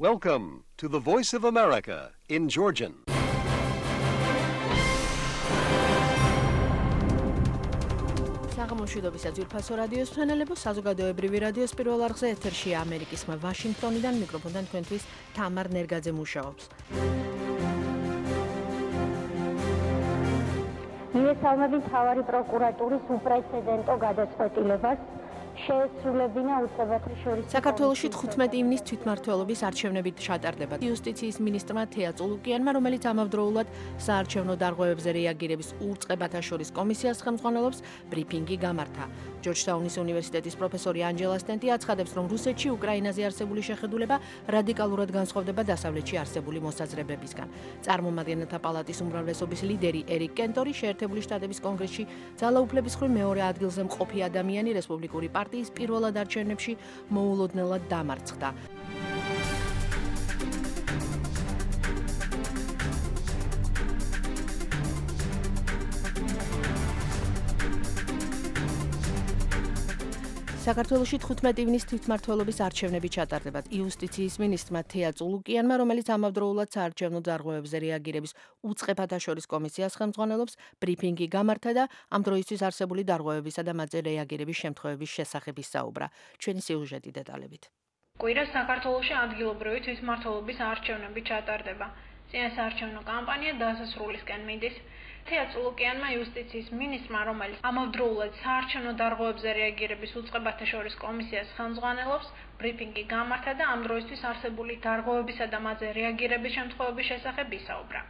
Welcome to the Voice of America in Georgian. საღამოშვიდობის ძვირფასო რადიოს მსმენელებო, საზოგადოებრივი რადიოს პირველ არხზე ეთერშია ამერიკის ხმა ვაშინგტონიდან, მიკროფონთან თქვენთვის თამარ ნერგაძე მუშაობს. მიესალმებით მთავარი პროკურატურის უპრეცედენტო გადაწყვეტილებას შეესრულებინა უწყებათა შორის საქართველოში 15 ივნის თვითმმართველობის არჩევნებით ჩატარდება. იუსტიციის მინისტრმა თეა წულუკიანმა, რომელიც ამავდროულად საარჩევნო დარღვევებზე რეაგირების უწყებათა შორის კომისიას ხელმძღვანელობს, ბრიფინგი გამართა. ჯორჯტაუნის უნივერსიტეტის პროფესორი ანჯელა სტენტი აცხადებს, რომ რუსეთში უკრაინაზე არსებული შეხედულება რადიკალურად განსხვავდება დასავლეთში არსებული მოსაზრებებისგან. წარმომადგენელთა პალატის უმრავლესობის ლიდერი ერიკ კენტორი შეერთებული შტატების კონგრესში ძალაუფლების მხრივ მეორე ადგილზე მყოფი ადამიანი რესპუბლიკური პარტიის პირველად არჩევნებში მოულოდნელად დამარცხდა. საქართველოში 15 ივნის თვითმმართველობის არჩევნები ჩატარდება. იუსტიციის მინისტრმა თეა წულუკიანმა, რომელიც ამავდროულად საარჩევნო დარღვევებზე რეაგირების უწყებათა შორის კომისიას ხელმძღვანელობს, ბრიფინგი გამართა და ამ დროისთვის არსებული დარღვევებისა და მათზე რეაგირების შემთხვევების შესახებ ისაუბრა. ჩვენი სიუჟეტი დეტალებით. კვირას საქართველოში ადგილობრივი თვითმმართველობის არჩევნები ჩატარდება. წინასაარჩევნო კამპანია დასასრულისკენ მიდის. თეა წულუკიანმა იუსტიციის მინისტრმა, რომელიც ამავდროულად საარჩევნო დარღვევებზე რეაგირების უწყებათა შორის კომისიას ხელმძღვანელობს, ბრიფინგი გამართა და ამ დროისთვის არსებული დარღვევებისა და მათზე რეაგირების შემთხვევების შესახებ ისაუბრა.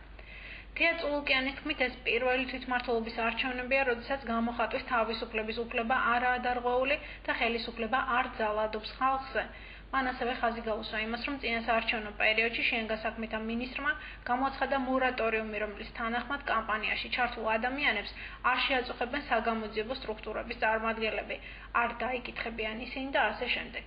თეა წულუკიანის თქმით, ეს პირველი თვითმმართველობის არჩევნებია, როდესაც გამოხატვის თავისუფლების უფლება არაა დარღვეული და ხელისუფლება არ ძალადობს ხალხზე. მან ასევე ხაზი გაუსვა იმას, რომ წინასაარჩევნო პერიოდში შინაგანსაქმეთა მინისტრმა გამოაცხადა მორატორიუმი, რომლის თანახმად კამპანიაში ჩართულ ადამიანებს არ შეაწუხებენ საგამოძიებო სტრუქტურების წარმომადგენლები, არ დაიკითხებიან ისინი და ასე შემდეგ.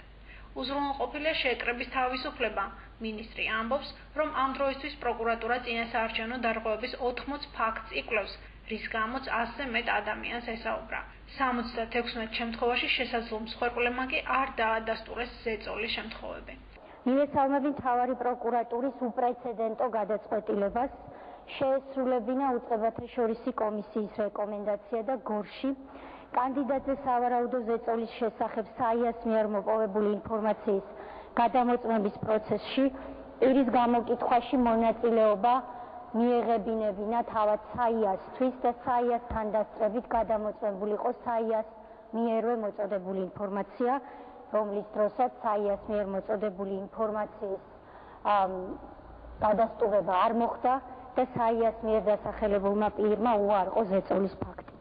უზრუნველყოფილია შეკრების თავისუფლება. მინისტრი ამბობს, რომ ამ დროისთვის პროკურატურა წინასაარჩევნო დარღვევების 80 ფაქტს იკვლევს, რის გამოც 100-ზე მეტ ადამიანს ესაუბრა. 76 შემთხვევაში შესაძლო მსხვერპლებმა კი არ დაადასტურეს ზეწოლის შემთხვევები. მიესალმებით მთავარი პროკურატურის უპრეცედენტო გადაწყვეტილებას შეესრულებინა უწყებათა შორისი კომისიის რეკომენდაცია და გორში კანდიდატზე სავარაუდო ზეწოლის შესახებ საიას მიერ მოპოვებული ინფორმაციის გადამოწმების პროცესში პირის გამოკითხვაში მონაწილეობა მიეღებინებინა თავად საიასთვის და საიასთან დასწრებით გადამოწმებული იყო საიას მიერვე მოწოდებული ინფორმაცია, რომლის დროსაც საიას მიერ მოწოდებული ინფორმაციის გადასტურება არ მოხდა და საიას მიერ დასახელებულმა პირმა უარყო ზეწოლის ფაქტი.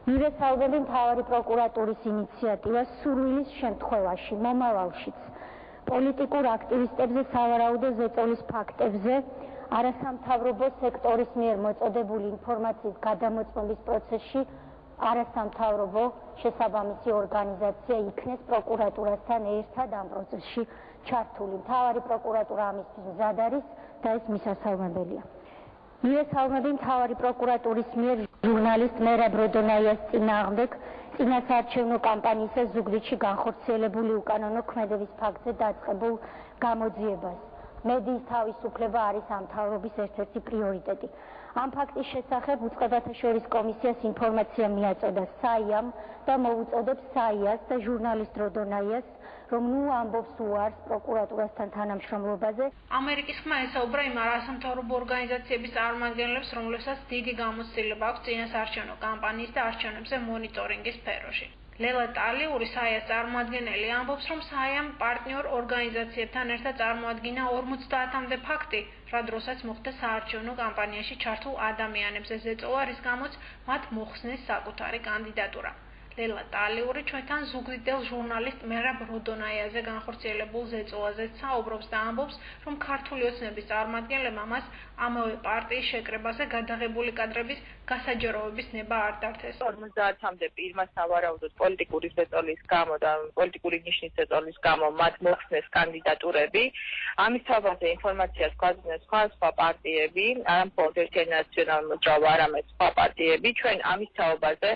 მივესალმები მთავარი პროკურატურის ინიციატივას სურვილის შემთხვევაში მომავალშიც პოლიტიკურ აქტივისტებზე სავარაუდო ზეწოლის ფაქტებზე არასამთავრობო სექტორის მიერ მოწოდებული ინფორმაციის გადამოწმების პროცესში არასამთავრობო შესაბამისი ორგანიზაცია იქნეს პროკურატურასთან ერთად ამ პროცესში ჩართული. მთავარი პროკურატურა ამისთვის მზად არის და ეს მისასალმებელია. მიესალმები მთავარი პროკურატურის მიერ ჟურნალისტ მერაბ როდონაიას წინააღმდეგ წინასაარჩევნო კამპანიისას ზუგდიდში განხორციელებული უკანონო ქმედების ფაქტზე დაწყებულ გამოძიებას. მედიის თავისუფლება არის ამ მთავრობის ერთ-ერთი პრიორიტეტი. ამ ფაქტის შესახებ უწყებათა შორის კომისიას ინფორმაცია მიაწოდა საიამ და მოუწოდებს საიას და ჟურნალისტ როდონაიას, რომ ნუ ამბობს უარს პროკურატურასთან თანამშრომლობაზე. ამერიკის ხმა ესაუბრა იმ არასამთავრობო ორგანიზაციების წარმომადგენლებს, რომლებსაც დიდი გამოცდილება აქვს წინასაარჩევნო კამპანიის და არჩევნებზე მონიტორინგის სფეროში. ლელა ტალიური საიას წარმოადგენელი ამბობს, რომ საიამ პარტნიორ ორგანიზაციებთან ერთად წარმოადგინა 50-მდე ფაქტი, რა დროსაც მოხდა საარჩევნო კამპანიაში ჩართულ ადამიანებზე ზეწოლა, რის გამოც მათ მოხსნეს საკუთარი კანდიდატურა. ლელა ტალიური ჩვენთან ზუგდიდელ ჟურნალისტ მერაბ როდონაიაზე განხორციელებულ ზეწოლაზეც საუბრობს და ამბობს, რომ ქართული ოცნების წარმომადგენლებმა მას ამავე პარტიის შეკრებაზე გადაღებული კადრების გასაჯაროების ნება არ დართეს. 50-მდე პირმა სავარაუდოდ პოლიტიკური ზეწოლის გამო და პოლიტიკური ნიშნის ზეწოლის გამო მათ მოხსნეს კანდიდატურები. ამის თავაზე ინფორმაციას გვაძლევს სხვა პარტიები, არა მხოლოდ ერთი ნაციონალური მოძრაობა, არამედ სხვა პარტიები. ჩვენ ამის თავაზე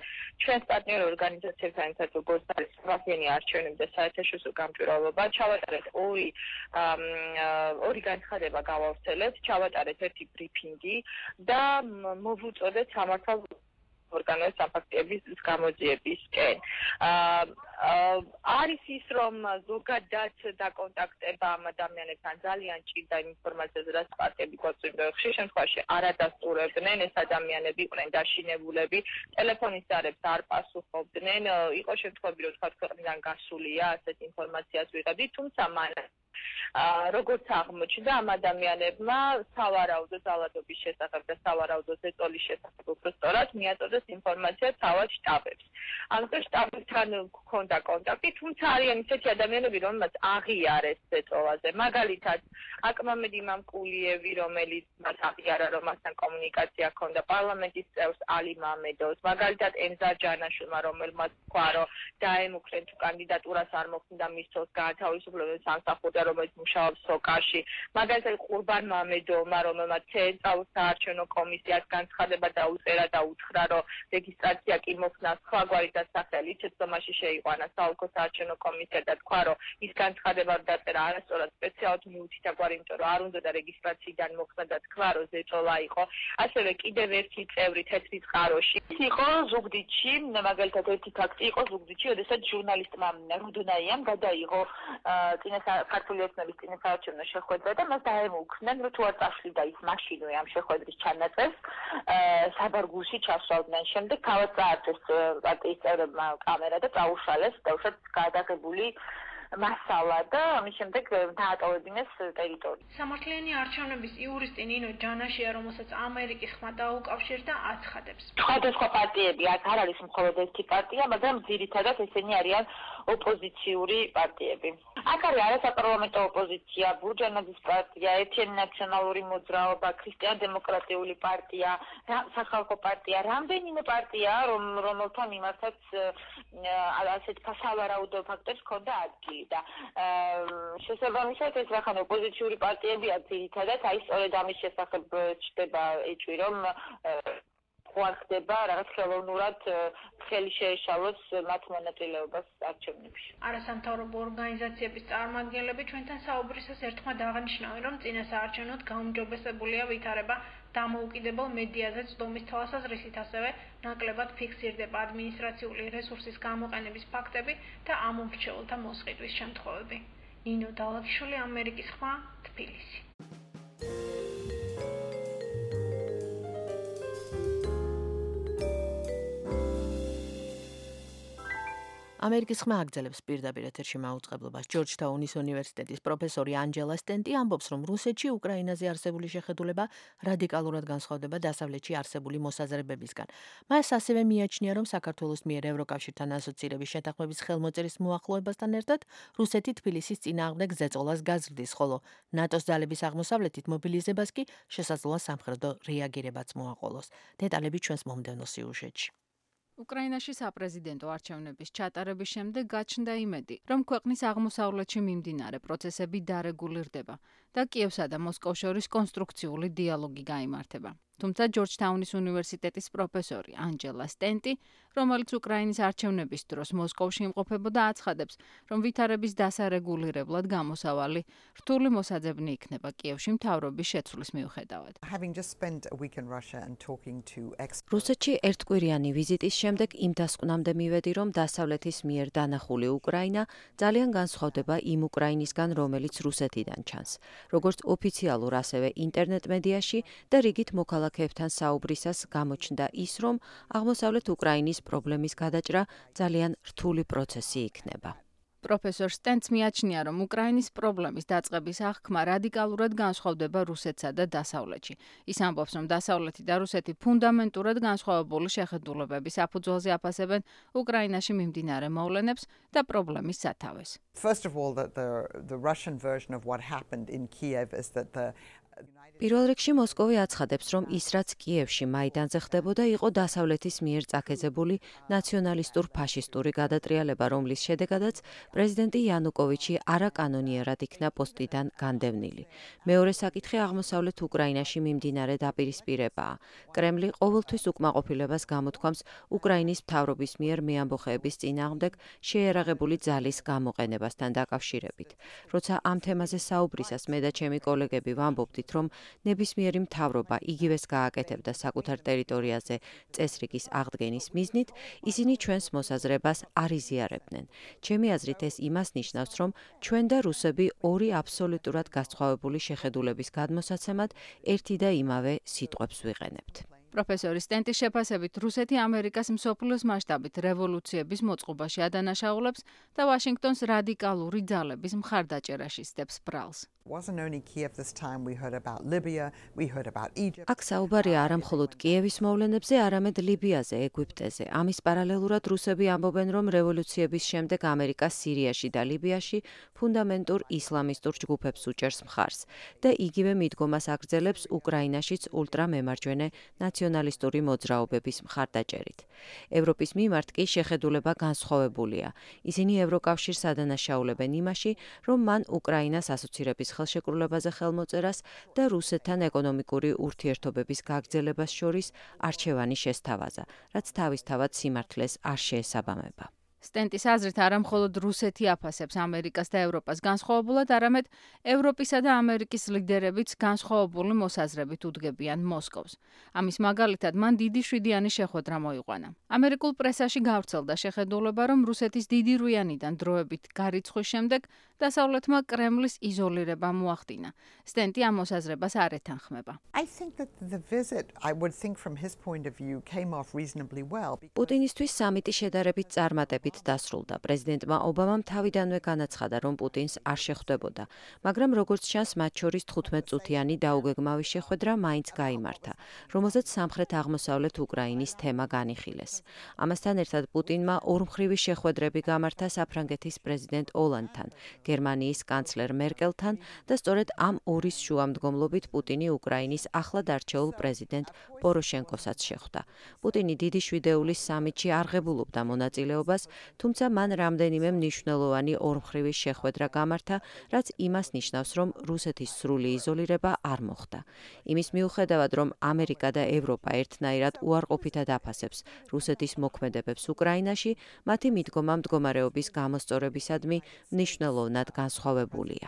ჩვენს პარტნიორ ორგანიზაციებთან ერთად როგორც არის სამართლიანი არჩევნები და საერთაშორისო გამჭვირვალობა, ჩავატარეთ ორი განცხადება გავავრცელეთ, ჩავატარეთ ერთი ბრიფინგი და მოვუწოდეთ სამართალ ორგანოებს საფაქტების გამოძიებისკენ. არის ის, რომ ზოგადად დაკონტაქტება ამ ადამიანებთან ძალიან ჭირდა ინფორმაციაზე, რაც პარტიები გვაწვდიან. ხშირ შემთხვევაში არ ადასტურებდნენ, ეს ადამიანები იყვნენ დაშინებულები, ტელეფონის ზარებს არ პასუხობდნენ, იყო შემთხვევები, რომ თქვა ქვეყნიდან გასულია, ასეთ ინფორმაციას ვიღებდით, თუმცა მანამ როგორც აღმოჩნდა, ამ ადამიანებმა სავარაუდო ძალადობის შესახებ და სავარაუდო ზეწოლის შესახებ უფრო სწორად მიაწოდეს ინფორმაცია თავად შტაბებს. ამიტომ შტაბებთან ჰქონდა კონტაქტი, თუმცა არიან ისეთი ადამიანები, რომელმაც აღიარეს ზეწოლაზე. მაგალითად, აკმამედი მამკულიევი, რომელიც მას აღიარა, რომ მასთან კომუნიკაცია ჰქონდა, პარლამენტის წევრს ალი მამედოვს, მაგალითად, ემზარ ჯანაშვილმა, რომელმაც თქვა, რომ დაემუქრენ თუ კანდიდატურას არ მოხდა მის წელს გაათავისუფლებენ სამსახურიდან, რომელიც მუშაობს სოკაში. მაგალითად, ყურბან მამედოვმა, რომელმაც ცენტრალურ საარჩევნო კომისიას განცხადება დაუწერა და უთხრა, რომ რეგისტრაცია კი მოხდა სხვაგვარი დასახელი, ცეცხლომაში შეიყვანა საოლქო საარჩევნო კომისია და თქვა, რომ ის განცხადება დაწერა არასწორად სპეციალურად მიუთითაგვარი, იმიტომ რომ არ უნდა და რეგისტრაციიდან მოხდა და თქვა, რომ ზეწოლა იყო. ასევე კიდევ ერთი წევრი თეთრი წყაროში იყო ზუგდიდში, მაგალითად ერთი ფაქტი იყო ზუგდიდში, როდესაც ჟურნალისტმა რუდონაიამ გადაიღო ქართული ოცნების წინასაარჩევნო შეხვედრა და მას დაემუქრნენ, რომ თუ არ წაშლიდა ის მაშინვე ამ შეხვედრის ჩანაწერს, საბარგულში ჩასვავდნენ. შემდეგ თავად წაართვეს პარტიის წევრებმა კამერა და წაუშალეს, დაუშვათ გადაღებული მასალა და ამის შემდეგ დაატოვებინეს ტერიტორია. სამართლიანი არჩევნების იურისტი ნინო ჯანაშია, რომელსაც ამერიკის ხმა დაუკავშირდა, აცხადებს. სხვადასხვა პარტიები არ არის მხოლოდ ერთი პარტია, მაგრამ ძირითადად ესენი არიან ოპოზიციური პარტიები. აქ არის არასაპარლამენტო ოპოზიცია, ბურჯანაძის პარტია, ეთნიკურ ნაციონალური მოძრაობა, ქრისტიან-დემოკრატიული პარტია, სახალხო პარტია, რამდენიმე პარტია, რომელთა მიმართაც ასეთ სავარაუდო ფაქტებს ჰქონდა ადგილი და შესაბამისად ეს რახან ოპოზიციური პარტიებია ძირითადად, აი სწორედ ამის შესახებ ჩდება ეჭვი, რომ ხდება რაღაც ხელოვნურად ხელი შეეშალოს მათ მონაწილეობას არჩევნებში. არასამთავრობო ორგანიზაციების წარმომადგენლები ჩვენთან საუბრისას ერთხმად აღნიშნავენ, რომ წინასაარჩევნოდ გაუმჯობესებულია ვითარება დამოუკიდებელ მედიაზე ცდომის თვალსაზრისით, ასევე ნაკლებად ფიქსირდება ადმინისტრაციული რესურსის გამოყენების ფაქტები და ამომრჩეველთა მოსყიდვის შემთხვევები. ნინო დალაჩშვილი, ამერიკის ხმა, თბილისი. ამერიკის ხმა აგრძელებს პირდაპირ ეთერში მაუწყებლობას. ჯორჯთაუნის უნივერსიტეტის პროფესორი ანჯელა სტენტი ამბობს, რომ რუსეთში უკრაინაზე არსებული შეხედულება რადიკალურად განსხვავდება დასავლეთში არსებული მოსაზრებებისგან. მას ასევე მიაჩნია, რომ საქართველოს მიერ ევროკავშირთან ასოცირების შეთანხმების ხელმოწერის მოახლოებასთან ერთად რუსეთი თბილისის წინააღმდეგ ზეწოლას გაზრდის, ხოლო ნატოს ძალების აღმოსავლეთით მობილიზებას კი შესაძლოა სამხედრო რეაგირებაც მოაყოლოს. დეტალები ჩვენს მომდევნო სიუჟეტში. უკრაინაში საპრეზიდენტო არჩევნების ჩატარების შემდეგ გაჩნდა იმედი, რომ ქვეყნის აღმოსავლეთში მიმდინარე პროცესები დარეგულირდება და კიევსა და მოსკოვს შორის კონსტრუქციული დიალოგი გაიმართება. თუმცა ჯორჯთაუნის უნივერსიტეტის პროფესორი ანჯელა სტენტი, რომელიც უკრაინის არჩევნების დროს მოსკოვში იმყოფებოდა, აცხადებს, რომ ვითარების დასარეგულირებლად გამოსავალი რთული მოსაძებნი იქნება კიევში მთავრობის შეცვლის მიუხედავად. რუსეთში ერთკვირიანი ვიზიტის შემდეგ იმ დასკვნამდე მივედი, რომ დასავლეთის მიერ დანახული უკრაინა ძალიან განსხვავდება იმ უკრაინისგან, რომელიც რუსეთიდან ჩანს. როგორც ოფიციალურ, ასევე ინტერნეტ მედიაში და რიგით მოქალაქეებთან საუბრისას გამოჩნდა ის, რომ აღმოსავლეთ უკრაინის პრობლემის გადაჭრა ძალიან რთული პროცესი იქნება. პროფესორ სტენტს მიაჩნია, რომ უკრაინის პრობლემის დაწყების აღქმა რადიკალურად განსხვავდება რუსეთსა და დასავლეთში. ის ამბობს, რომ დასავლეთი და რუსეთი ფუნდამენტურად განსხვავებული შეხედულებების საფუძველზე აფასებენ უკრაინაში მიმდინარე მოვლენებს და პრობლემის სათავეს. First of all, the Russian version of what happened in Kiev is that the პირველ რიგში მოსკოვი აცხადებს, რომ ის რაც კიევში მაიდანზე ხდებოდა, იყო დასავლეთის მიერ წაქეზებული ნაციონალისტურ ფაშისტური გადატრიალება, რომლის შედეგადაც პრეზიდენტი იანუკოვიჩი არაკანონიერად იქნა პოსტიდან განდევნილი. მეორე საკითხი აღმოსავლეთ უკრაინაში მიმდინარე დაპირისპირებაა. კრემლი ყოველთვის უკმაყოფილებას გამოთქვამს უკრაინის მთავრობის მიერ მეამბოხეების წინააღმდეგ შეიარაღებული ძალის გამოყენებასთან დაკავშირებით. როცა ამ თემაზე საუბრისას მე და ჩემი კოლეგები ვამბობდით, რომ ნებისმიერი მთავრობა იგივეს გააკეთებდა საკუთარ ტერიტორიაზე წესრიგის აღდგენის მიზნით, ისინი ჩვენს მოსაზრებას არ იზიარებდნენ. ჩემი აზრით ეს იმას ნიშნავს, რომ ჩვენ და რუსები ორი აბსოლუტურად განსხვავებული შეხედულების გადმოსაცემად ერთი და იმავე სიტყვებს ვიყენებთ. პროფესორი სტენტის შეფასებით, რუსეთი ამერიკას მსოფლიოს მასშტაბით რევოლუციების მოწყობაში ადანაშაულებს და ვაშინგტონს რადიკალური ძალების მხარდაჭერაში სდებს ბრალს. აქ საუბარია არა მხოლოდ კიევის მოვლენებზე, არამედ ლიბიაზე, ეგვიპტეზე. ამის პარალელურად რუსები ამბობენ, რომ რევოლუციების შემდეგ ამერიკა სირიაში და ლიბიაში ფუნდამენტურ ისლამისტურ ჯგუფებს უჭერს მხარს და იგივე მიდგომას აგრძელებს უკრაინაშიც ულტრამემარჯვენე ნაციონალისტური მოძრაობების მხარდაჭერით. ევროპის მიმართ კი შეხედულება განსხვავებულია. ისინი ევროკავშირს ადანაშაულებენ იმაში, რომ მან უკრაინას ასოცირების ხელშეკრულებაზე ხელმოწერას და რუსეთთან ეკონომიკური ურთიერთობების გაგრძელებას შორის არჩევანი შესთავაზა, რაც თავისთავად სიმართლეს არ შეესაბამება. სტენტის აზრით არა მხოლოდ რუსეთი აფასებს ამერიკას და ევროპას განსხვავებულად, არამედ ევროპისა და ამერიკის ლიდერებიც განსხვავებული მოსაზრებით უდგებიან მოსკოვს. ამის მაგალითად მან დიდი შვიდიანი შეხვედრა მოიყვანა. ამერიკულ პრესაში გავრცელდა შეხედულება, რომ რუსეთის დიდი რუიანიდან დროებით გარიცხვის შემდეგ დასავლეთმა კრემლის იზოლირება მოახდინა. სტენტი ამ მოსაზრებას არ ეთანხმება. პუტინისთვის სამიტი შედარებით წარმატებით დასრულდა. პრეზიდენტმა ობამამ თავიდანვე განაცხადა, რომ პუტინს არ შეხვდებოდა, მაგრამ როგორც ჩანს, მათ შორის 15 წუთიანი დაუგეგმავი შეხვედრა მაინც გაიმართა, რომელზეც სამხრეთ-აღმოსავლეთ უკრაინის თემა განიხილეს. ამასთან ერთად პუტინმა ორმხრივი შეხვედრები გამართა საფრანგეთის პრეზიდენტ ოლანდთან, გერმანიის კანცლერ მერკელთან და სწორედ ამ ორის შუამდგომლობით პუტინი უკრაინის ახლად არჩეულ პრეზიდენტ პოროშენკოსაც შეხვდა. პუტინი დიდი შვიდეულის სამიტში არ ღებულობდა მონაწილეობას, თუმცა მან რამდენიმე მნიშვნელოვანი ორმხრივი შეხვედრა გამართა, რაც იმას ნიშნავს, რომ რუსეთის სრული იზოლირება არ მოხდა. იმის მიუხედავად, რომ ამერიკა და ევროპა ერთნაირად უარყოფითად აფასებს რუსეთის მოქმედებებს უკრაინაში, მათი მიდგომა მდგომარეობის გამოსწორებისადმი მნიშვნელოვნად განსხვავებულია.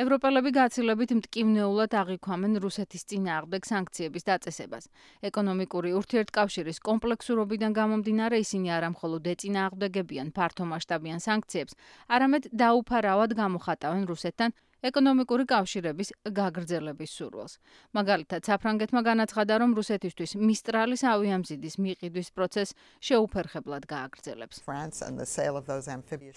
ევროპელები გაცილებით მტკივნეულად აღიქვამენ რუსეთის წინააღმდეგ სანქციების დაწესებას. ეკონომიკური ურთიერთკავშირის კომპლექსურობიდან გამომდინარე ისინი არა მხოლოდ ეწინააღმდეგებიან ფართომასშტაბიან სანქციებს, არამედ დაუფარავად გამოხატავენ რუსეთთან ეკონომიკური კავშირების გაგრძელების სურვილს. მაგალითად, საფრანგეთმა განაცხადა, რომ რუსეთისთვის მისტრალის ავიამზიდის მიყიდვის პროცესს შეუფერხებლად გააგრძელებს.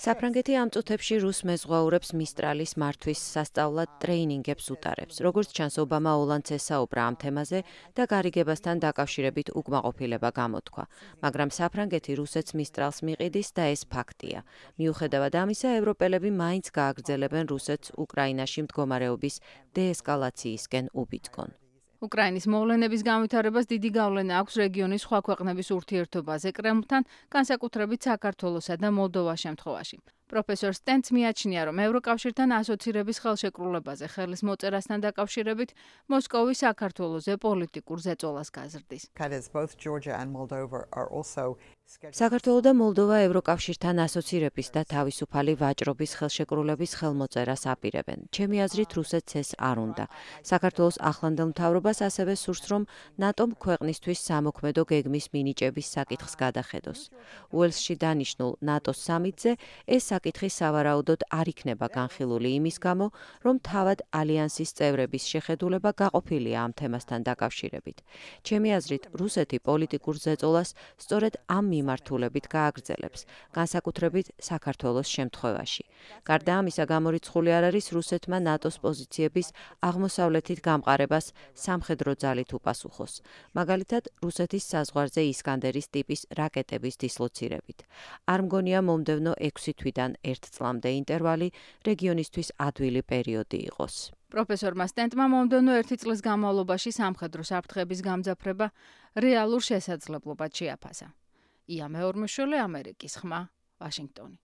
საფრანგეთი ამ წუთებში რუს მეზღვაურებს მისტრალის მართვის სასწავლად ტრეინინგებს უტარებს. როგორც ჩანს, ობამა ოლანდს ესაუბრა ამ თემაზე და გარიგებასთან დაკავშირებით უკმაყოფილება გამოთქვა. მაგრამ საფრანგეთი რუსეთს მისტრალს მიყიდის და ეს ფაქტია. მიუხედავად ამისა, ევროპელები მაინც გააგრძელებენ რუსეთს უკრაინაში მდგომარეობის დეესკალაციისკენ უბიძგონ. უკრაინის მოვლენების განვითარებას დიდი გავლენა აქვს რეგიონის სხვა ქვეყნების ურთიერთობაზე კრემლთან, განსაკუთრებით საქართველოსა და მოლდოვას შემთხვევაში. პროფესორ სტენტს მიაჩნია, რომ ევროკავშირთან ასოცირების ხელშეკრულებაზე ხელის მოწერასთან დაკავშირებით მოსკოვი საქართველოზე პოლიტიკურ ზეწოლას გაზრდის. საქართველო და მოლდოვა ევროკავშირთან ასოცირების და თავისუფალი ვაჭრობის ხელშეკრულების ხელმოწერას აპირებენ. ჩემი აზრით, რუსეთს ეს არ უნდა. საქართველოს ახლანდელ მთავრობას ასევე სურს, რომ ნატომ ქვეყნისთვის სამოქმედო გეგმის მინიჭების საკითხს გადახედოს. უელსში დანიშნულ ნატოს სამიტზე ეს საკითხი სავარაუდოდ არ იქნება განხილული იმის გამო, რომ თავად ალიანსის წევრების შეხედულება გაყოფილია ამ თემასთან დაკავშირებით. ჩემი აზრით, რუსეთი პოლიტიკურ ზეწოლას სწორედ ამ მიმართულებით გააგრძელებს, განსაკუთრებით საქართველოს შემთხვევაში. გარდა ამისა, გამორიცხული არ არის რუსეთმა ნატოს პოზიციების აღმოსავლეთით გამყარებას სამხედრო ძალით უპასუხოს. მაგალითად, რუსეთის საზღვარზე ისკანდერის ტიპის რაკეტების დისლოცირებით. არ მგონია მომდევნო 6 თვიდან 1 წლამდე ინტერვალი რეგიონისთვის ადვილი პერიოდი იყოს. პროფესორმა სტენტმა მომდევნო 1 წლის განმავლობაში სამხედრო საფრთხების გამძაფრება რეალურ შესაძლებლობად შეაფასა. ია მეორმეშვილი, ამერიკის ხმა, ვაშინგტონი.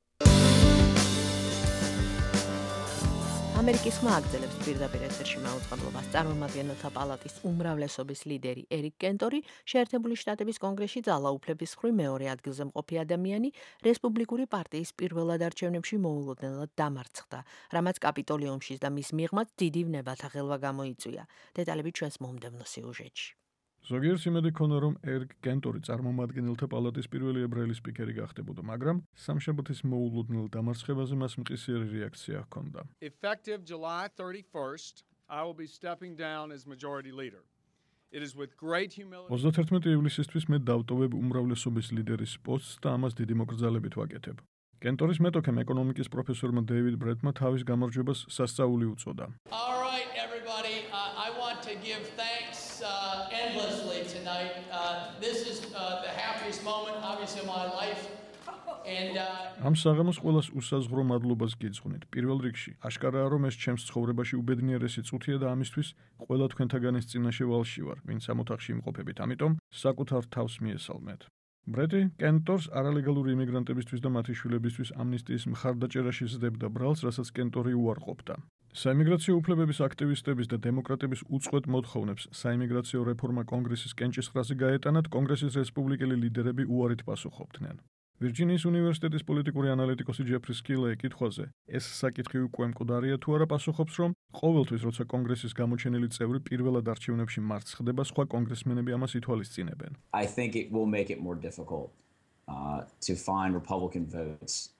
ამერიკის ხმა აგრძელებს პირდაპირ ეთერში მაუწყებლობას. წარმომადგენელთა პალატის უმრავლესობის ლიდერი ერიკ კენტორი შეერთებული შტატების კონგრესში ძალაუფლების მხრივ მეორე ადგილზე მყოფი ადამიანი რესპუბლიკური პარტიის პირველად არჩევნებში მოულოდნელად დამარცხდა, რამაც კაპიტოლიუმში და მის მიღმაც დიდი ვნებათა ხელვა გამოიწვია. დეტალები ჩვენს მომდევნო სიუჟეტში. ზოგიერთ იმედი ქონა, რომ ერიკ კენტორი წარმომადგენელთა პალატის პირველი ებრაელი სპიკერი გახდებოდა, მაგრამ სამშაბათის მოულოდნელ დამარცხებაზე მას მყისიერი რეაქცია ჰქონდა. Effective July 31st, I will be stepping down as majority leader. It is with great humility. 31 ივლისისთვის მე დავტოვებ უმრავლესობის ლიდერის პოსტს და ამას დიდი მოკრძალებით ვაკეთებ. კენტორის მეტოქემ ეკონომიკის პროფესორმა დეივიდ ბრეტმა თავის გამარჯვებას სასწაული უწოდა. All right, everybody, I want to give thanks endlessly tonight. This is the happiest moment, obviously, of my life. And ამ საღამოს ყველას უსაზღრო მადლობას გიძღვნით. პირველ რიგში, აშკარაა, რომ ეს ჩემს ცხოვრებაში უბედნიერესი წუთია და ამისთვის ყველა თქვენთაგანის წინაშე ვალში ვარ, ვინც ამ ოთახში იმყოფებით. ამიტომ საკუთარ თავს მიესალმეთ. ბრეტი კენტორს არალეგალური იმიგრანტებისთვის და მათი შვილებისთვის ამნისტიის მხარდაჭერაში ზრდებდა ბრალს, რასაც კენტორი უარყოფდა. საიმიგრაციო უფლებების აქტივისტების და დემოკრატების უწყვეტ მოთხოვნებს საიმიგრაციო რეფორმა კონგრესის კენჭისყრაზე გაეტანათ, კონგრესის რესპუბლიკელი ლიდერები უარით პასუხობდნენ. ვირჯინიის უნივერსიტეტის პოლიტიკური ანალიტიკოსი ჯეფრი სკილეი კითხვაზე, ეს საკითხი უკვე მკვდარია თუ არა, პასუხობს, რომ ყოველთვის, როცა კონგრესის გამოჩენილი წევრი პირველად არჩევნებში მარცხდება, სხვა კონგრესმენები ამას ითვალისწინებენ. I think it will make it more difficult to find Republican votes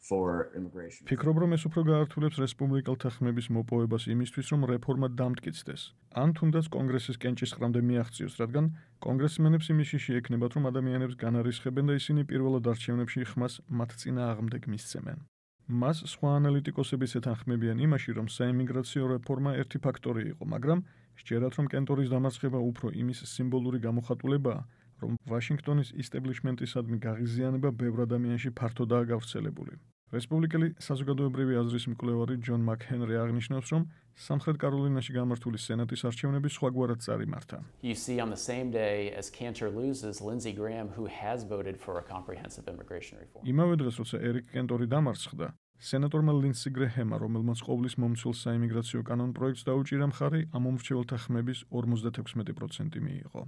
for immigration. ფიქრობ, რომ ეს უფრო გაართულებს რესპუბლიკელთა ხმების მოპოვებას იმისთვის, რომ რეფორმა დამტკიცდეს. ან თუნდაც კონგრესის კენჭისყრამდე მიაღწიოს, რადგან კონგრესმენებს იმის შიში ექნებათ, რომ ადამიანებს განარისხებენ და ისინი პირველად არჩევნებში ხმას მათ წინააღმდეგ მისცემენ. მას სხვა ანალიტიკოსებიც ეთანხმებიან იმაში, რომ საიმიგრაციო რეფორმა ერთი ფაქტორი იყო, მაგრამ სჯერათ, რომ კენტორის დამარცხება უფრო იმის სიმბოლური გამოხატულებაა, რომ ვაშინგტონის ისტებლიშმენტისადმი გაღიზიანება ბევრ ადამიანში ფართოდაა გავრცელებული. რესპუბლიკელი საზოგადოებრივი აზრის მკვლევარი ჯონ მაკჰენრი აღნიშნავს, რომ სამხრეთ კაროლინაში გამართული სენატის არჩევნები სხვაგვარად წარიმართა. You see on the same day as Cantor loses, Lindsey Graham, who has voted for a comprehensive immigration reform. იმავე დღეს, როცა ერიკ კენტორი დამარცხდა, სენატორმა ლინდსი გრეჰემმა, რომელმაც ყოვლის მომცველ საიმიგრაციო კანონ პროექტს დაუჭირა მხარი, ამ მომრჩეველთა ხმების 56% მიიღო.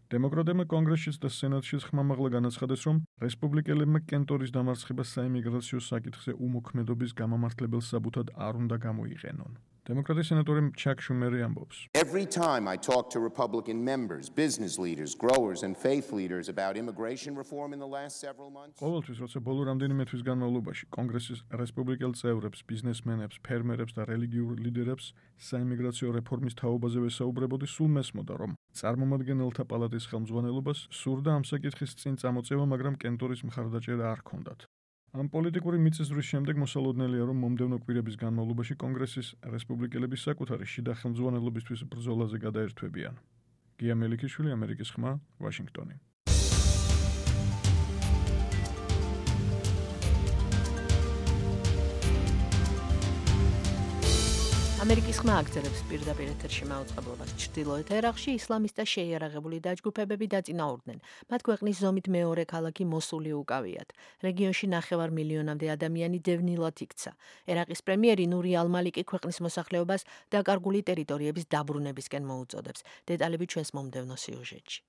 დემოკრატებმა კონგრესშიც და სენატშიც ხმამაღლა განაცხადეს, რომ რესპუბლიკელებმა კენტორის დამარცხება საიმიგრაციო საკითხზე უმოქმედობის გამამართლებელ საბუთად არ უნდა გამოიყენონ. დემოკრატი სენატორი ჩაკ შუმერი ამბობს. Every time I talk to Republican members, business leaders, growers and faith leaders about immigration reform in the last several months. ყოველთვის, როცა ბოლო რამდენიმე თვის განმავლობაში კონგრესის რესპუბლიკელ წევრებს, ბიზნესმენებს, ფერმერებს და რელიგიურ ლიდერებს საიმიგრაციო რეფორმის თაობაზე ვესაუბრებოდი, სულ მესმოდა, რომ წარმომადგენელთა პალატის ხელმძღვანელობას სურდა ამ საკითხის წინ წამოწევა, მაგრამ კენტორის მხარდაჭერა არ ჰქონდათ. ამ პოლიტიკური მიწისძვრის შემდეგ მოსალოდნელია, რომ მომდევნო კვირების განმავლობაში კონგრესის რესპუბლიკელები საკუთარი შიდა ხელმძღვანელობისთვის ბრძოლაზე გადაერთვებიან. გია მელიქიშვილი, ამერიკის ხმა, ვაშინგტონი. ამერიკის ხმა აგრძელებს პირდაპირ ეთერში მაუწყებლობას. ჩრდილოეთ ერაყში ისლამისტთა შეიარაღებული დაჯგუფებები დაწინაურდნენ. მათ ქვეყნის ზომით მეორე ქალაქი მოსული უკავიათ. რეგიონში 9 მილიონამდე ადამიანი დევნილად იქცა. ერაყის პრემიერი ნური ალ-მალიკი ქვეყნის მოსახლეობას დაკარგული ტერიტორიების დაბრუნებისკენ მოუწოდებს. დეტალები ჩვენს მომდევნო სიუჟეტში.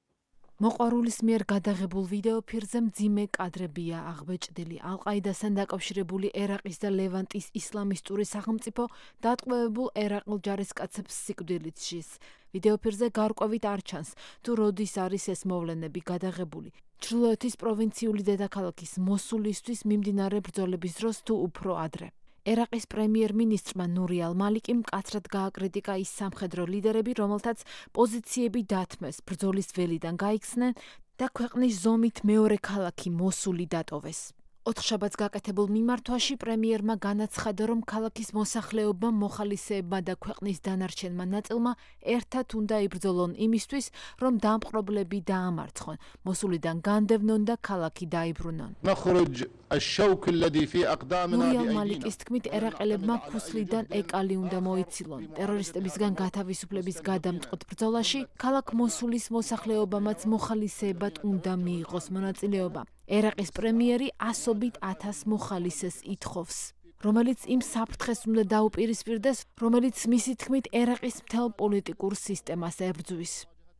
მოყვარულის მიერ გადაღებულ ვიდეო ფირზე მძიმე კადრებია აღბეჭდილი. ალ-ყაიდასთან დაკავშირებული ერაყის და ლევანტის ისლამისტური სახელმწიფო დატყვევებულ ერაყელ ჯარისკაცებს სიკვდილით შლის. ვიდეო ფირზე გარკვევით არ ჩანს, თუ როდის არის ეს მოვლენები გადაღებული. ჩრდილოეთის პროვინციული დედაქალაქის მოსულისთვის მიმდინარე ბრძოლების დროს თუ უფრო ადრე. ერაყის პრემიერ-მინისტრმა ნური ალ-მალიკი მკაცრად გააკრიტიკა ის სამხედრო ლიდერები, რომელთაც პოზიციები დათმეს, ბრძოლის ველიდან გაიქცნენ და ქვეყნის ზომით მეორე ქალაქი მოსული დატოვეს. ოთხშაბათს გაკეთებულ მიმართვაში პრემიერმა განაცხადა, რომ ქალაქის მოსახლეობამ, მოხალისეებმა და ქვეყნის დანარჩენმა ნაწილმა ერთად უნდა იბრძოლონ იმისთვის, რომ დამპყრობლები დაამარცხონ, მოსულიდან განდევნონ და ქალაქი დაიბრუნონ. ნურიელ მალიკის თქმით, ერაყელებმა ქუსლიდან ეკალი უნდა მოიცილონ. ტერორისტებისგან გათავისუფლების გადამწყვეტ ბრძოლაში ქალაქ მოსულის მოსახლეობამაც მოხალისეებად უნდა მიიღოს მონაწილეობა. ერაყის პრემიერი ასობით 1000 მოხალისეს ითხოვს, რომელიც იმ საფრთხეს უნდა დაუპირისპირდეს, რომელიც მისი თქმით ერაყის მთელ პოლიტიკურ სისტემას ებრძვის.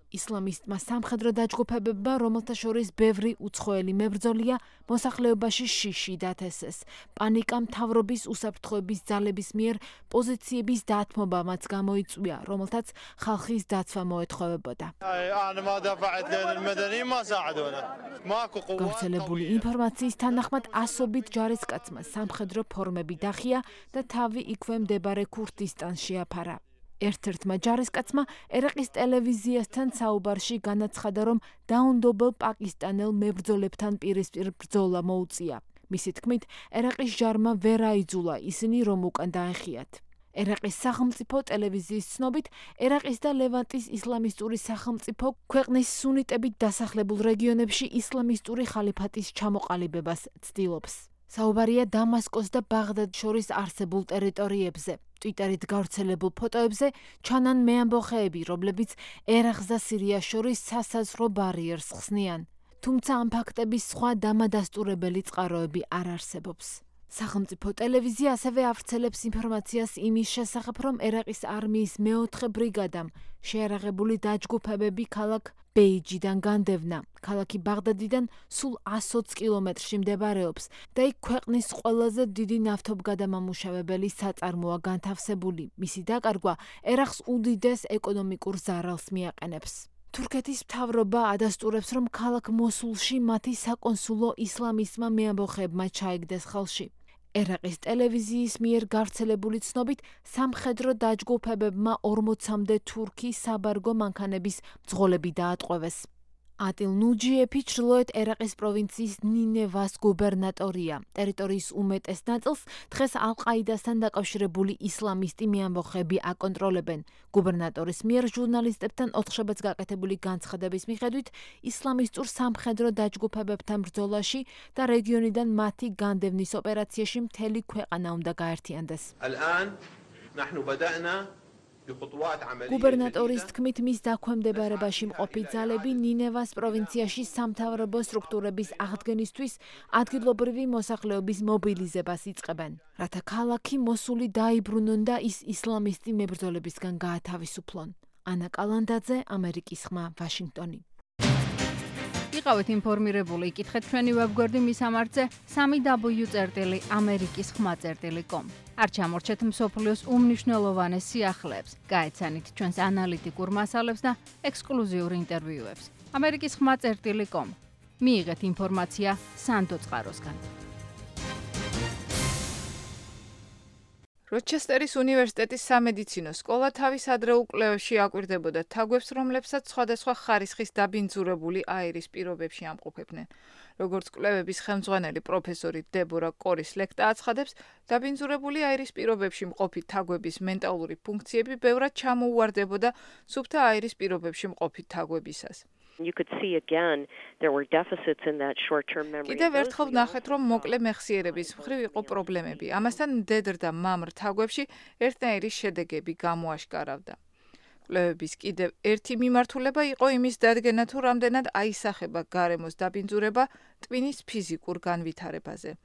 ისლამისტმა სამხედრო დაჯგუფებებმა, რომელთა შორის ბევრი უცხოელი მებრძოლია, მოსახლეობაში შიში დათესეს. პანიკა მთავრობის უსაფრთხოების ძალების მიერ პოზიციების დათმობამაც გამოიწვია, რომელთაც ხალხის დაცვა მოეთხოვებოდა. გავრცელებული ინფორმაციის თანახმად ასობით ჯარისკაცმა სამხედრო ფორმები დახია და თავი იქვე მდებარე ქურთისტანში აფარა. ერთ-ერთმა ჯარისკაცმა ერაყის ტელევიზიასთან საუბარში განაცხადა, რომ დაუნდობელ პაკისტანელ მებრძოლებთან პირისპირ ბრძოლა მოუწია. მისი თქმით, ერაყის ჯარმა ვერ აიძულა ისინი, რომ უკან დაეხიათ. ერაყის სახელმწიფო ტელევიზიის ცნობით, ერაყის და ლევანტის ისლამისტური სახელმწიფო ქვეყნის სუნიტებით დასახლებულ რეგიონებში ისლამისტური ხალიფატის ჩამოყალიბებას ცდილობს. საუბარია დამასკოს და ბაღდადს შორის არსებულ ტერიტორიებზე. ტვიტერით გავრცელებულ ფოტოებზე ჩანან მეამბოხეები, რომლებიც ერაყს და სირიას შორის სასაზღვრო ბარიერს ხსნიან. თუმცა ამ ფაქტების სხვა დამადასტურებელი წყაროები არ არსებობს. სახელმწიფო ტელევიზია ასევე ავრცელებს ინფორმაციას იმის შესახებ, რომ ერაყის არმიის მეოთხე ბრიგადამ შეიარაღებული დაჯგუფებები ქალაქ ბეიჯიდან განდევნა. ქალაქი ბაღდადიდან სულ 120 კილომეტრში მდებარეობს და იქ ქვეყნის ყველაზე დიდი ნავთობგადამამუშავებელი საწარმოა განთავსებული. მისი დაკარგვა ერაყს უდიდეს ეკონომიკურ ზარალს მიაყენებს. თურქეთის მთავრობა ადასტურებს, რომ ქალაქ მოსულში მათი საკონსულო ისლამისტმა მეამბოხეებმა ჩაიგდეს ხელში. ერაყის ტელევიზიის მიერ გავრცელებული ცნობით, სამხედრო დაჯგუფებებმა 40-მდე თურქი საბარგო მანქანების მძღოლები დაატყვევეს. ატილ ნუჯიეფი ჩრდილოეთ ერაყის პროვინციის ნინევას გუბერნატორია. ტერიტორიის უმეტეს ნაწილს დღეს ალ-ყაიდასთან დაკავშირებული ისლამისტი მეამბოხეები აკონტროლებენ. გუბერნატორის მიერ ჟურნალისტებთან ოთხშაბათს გაკეთებული განცხადების მიხედვით, ისლამისტურ სამხედრო დაჯგუფებებთან ბრძოლაში და რეგიონიდან მათი განდევნის ოპერაციაში მთელი ქვეყანა უნდა გაერთიანდეს. გუბერნატორის თქმით, მის დაქვემდებარებაში მყოფი ძალები ნინევას პროვინციაში სამთავრობო სტრუქტურების აღდგენისთვის ადგილობრივი მოსახლეობის მობილიზებას იწყებენ, რათა ქალაქი მოსული დაიბრუნონ და ის ისლამისტი მებრძოლებისგან გაათავისუფლონ. ანა კალანდაძე, ამერიკის ხმა, ვაშინგტონი. იყავით ინფორმირებული, იკითხეთ ჩვენი ვებგვერდი მისამართზე 3w.amerikiskhma.com. არ ჩამორჩეთ მსოფლიოს უმნიშვნელოვანეს სიახლეებს, გაეცანით ჩვენს ანალიტიკურ მასალებს და ექსკლუზიურ ინტერვიუებს. amerikiskhma.com. მიიღეთ ინფორმაცია სანდო წყაროსგან. როჩესტერის უნივერსიტეტის სამედიცინო სკოლა თავის ადრეულ კვლევებში აკვირდებოდა თაგვებს, რომლებსაც სხვადასხვა ხარისხის დაბინძურებული აირის პირობებში ამყოფებდნენ. როგორც კვლევების ხელმძღვანელი პროფესორი დებორა კორის-ლექტა აცხადებს, დაბინძურებული აირის პირობებში მყოფი თაგვების მენტალური ფუნქციები ბევრად ჩამოუვარდებოდა სუფთა აირის პირობებში მყოფი თაგვებისას. You could see again there were deficits in that short-term memory. კიდევ ერთხელ ვნახეთ, რომ მოკლე მეხსიერების მხრივ იყო პრობლემები. ამასთან მდედრ და მამრ თაგვებში ერთნაირი შედეგები გამოაშკარავდა. კვლევების კიდევ ერთი მიმართულება იყო იმის დადგენა, თუ რამდენად აისახება გარემოს დაბინძურება ტვინის ფიზიკურ განვითარებაზე.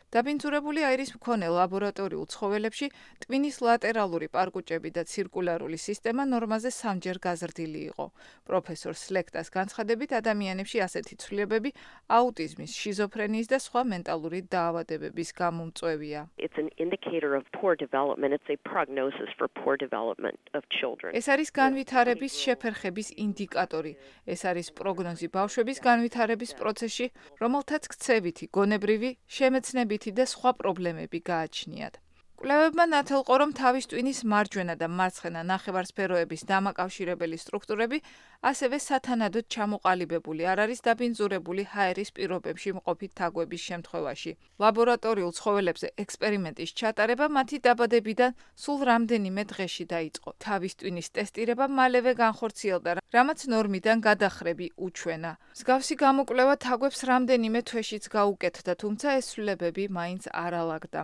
დაბინძურებული აირის მქონე ლაბორატორიულ ცხოველებში ტვინის ლატერალური პარკუჭები და ცირკულარული სისტემა ნორმაზე 3-ჯერ გაზრდილი იყო. პროფესორ სლექტას განცხადებით, ადამიანებში ასეთი ცვლილებები აუტიზმის, შიზოფრენიის და სხვა მენტალური დაავადებების გამომწვევია. It's an indicator of poor development. It's a prognosis for poor development of children. ეს არის განვითარების შეფერხების ინდიკატორი. ეს არის პროგნოზი ბავშვების განვითარების პროცესში, რომელთაც ქცევითი, გონებრივი, შემეცნებითი და სხვა პრობლემები გააჩნიათ. კვლევებმა ნათელყო, რომ თავის ტვინის მარჯვენა და მარცხენა ნახევარსფეროების დამაკავშირებელი სტრუქტურები ასევე სათანადოდ ჩამოყალიბებული არ არის დაბინძურებული ჰაერის პირობებში მყოფი თაგვების შემთხვევაში. ლაბორატორიულ ცხოველებზე ექსპერიმენტის ჩატარება მათი დაბადებიდან სულ რამდენიმე დღეში დაიწყო. თავის ტვინის ტესტირება მალევე განხორციელდა, რამაც ნორმიდან გადახრები უჩვენა. მსგავსი გამოკვლევა თაგვებს რამდენიმე თვეშიც გაუკეთდა, თუმცა ეს ცვლილებები მაინც არ ალაგდა.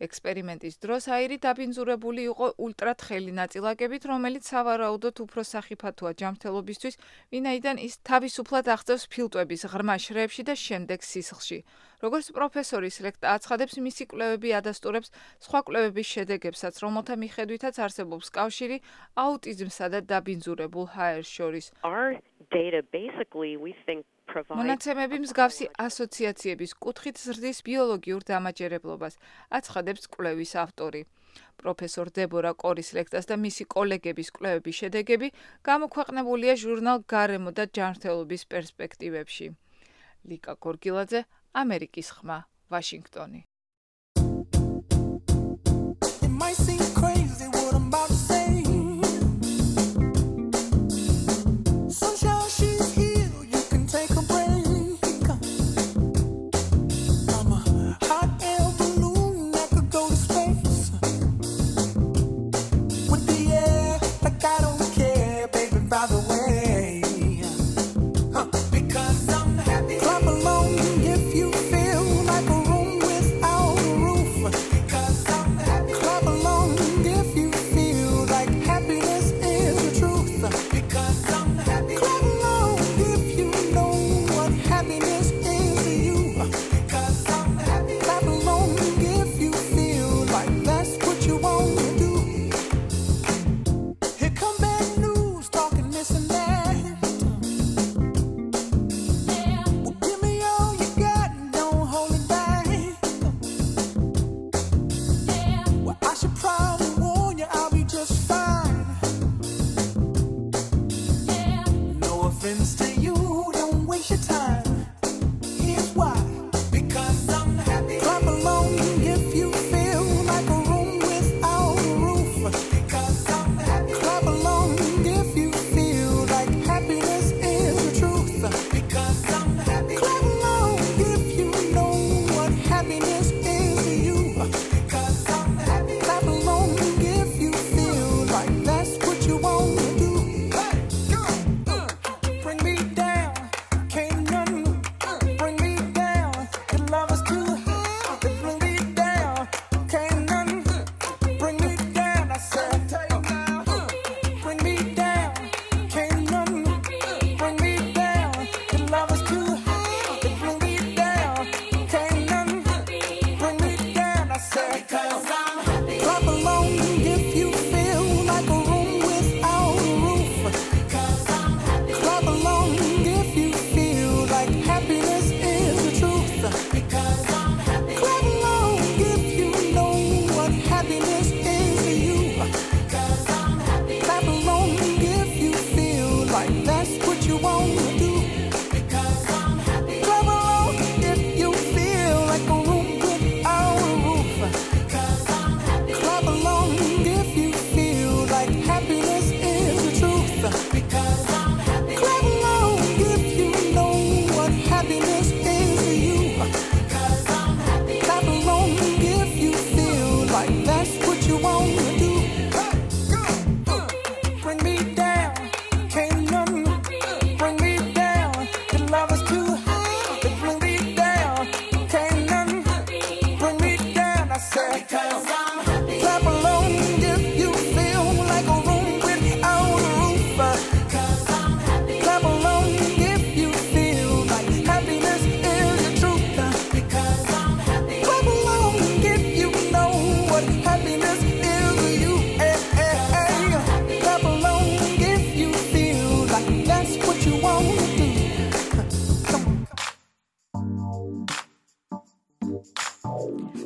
ექსპერიმენტის დროს აირი დაბინძურებული იყო ულტრათხელი ნაწილაკებით, რომელიც სავარაუდოდ უფრო სახიფათოა ჯანმრთელობისთვის, ვინაიდან ის თავისუფლად აღწევს ფილტვების ღრმა შრეებში და შემდეგ სისხლში. როგორც პროფესორის ლექტა აცხადებს, მისი კვლევები ადასტურებს სხვა კვლევების შედეგებსაც, რომელთა მიხედვითაც არსებობს კავშირი აუტიზმსა და დაბინძურებულ ჰაერს შორის. მონაცემები მსგავსი ასოციაციების კუთხით ზრდის ბიოლოგიურ დამაჯერებლობას, აცხადებს კვლევის ავტორი. პროფესორ დებორა კორის ლექტას და მისი კოლეგების კვლევების შედეგები გამოქვეყნებულია ჟურნალ გარემო და ჯანმრთელობის პერსპექტივებში. ლიკა გორგილაძე, ამერიკის ხმა, ვაშინგტონი.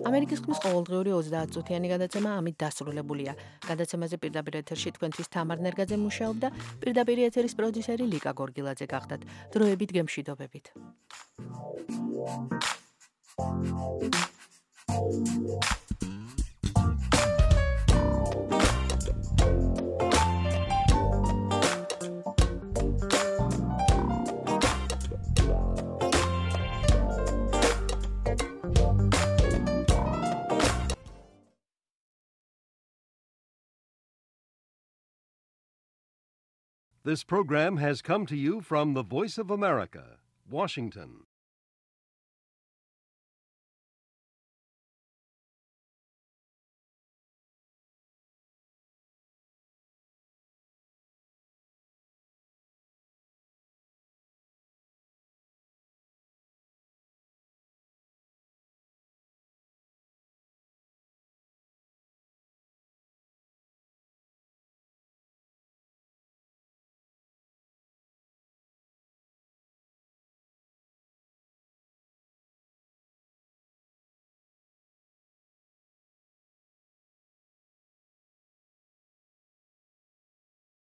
ამერიკის ხმის ყოველდღიური 30 წუთიანი გადაცემა ამით დასრულებულია. გადაცემაზე პირდაპირ ეთერში თქვენთვის თამარ ნერგაძე მუშაობდა, პირდაპირ ეთერის პროდიუსერი ლიკა გორგილაძე გახდათ. დროებით გემშვიდობებით. Thank you. This program has come to you from the Voice of America, Washington.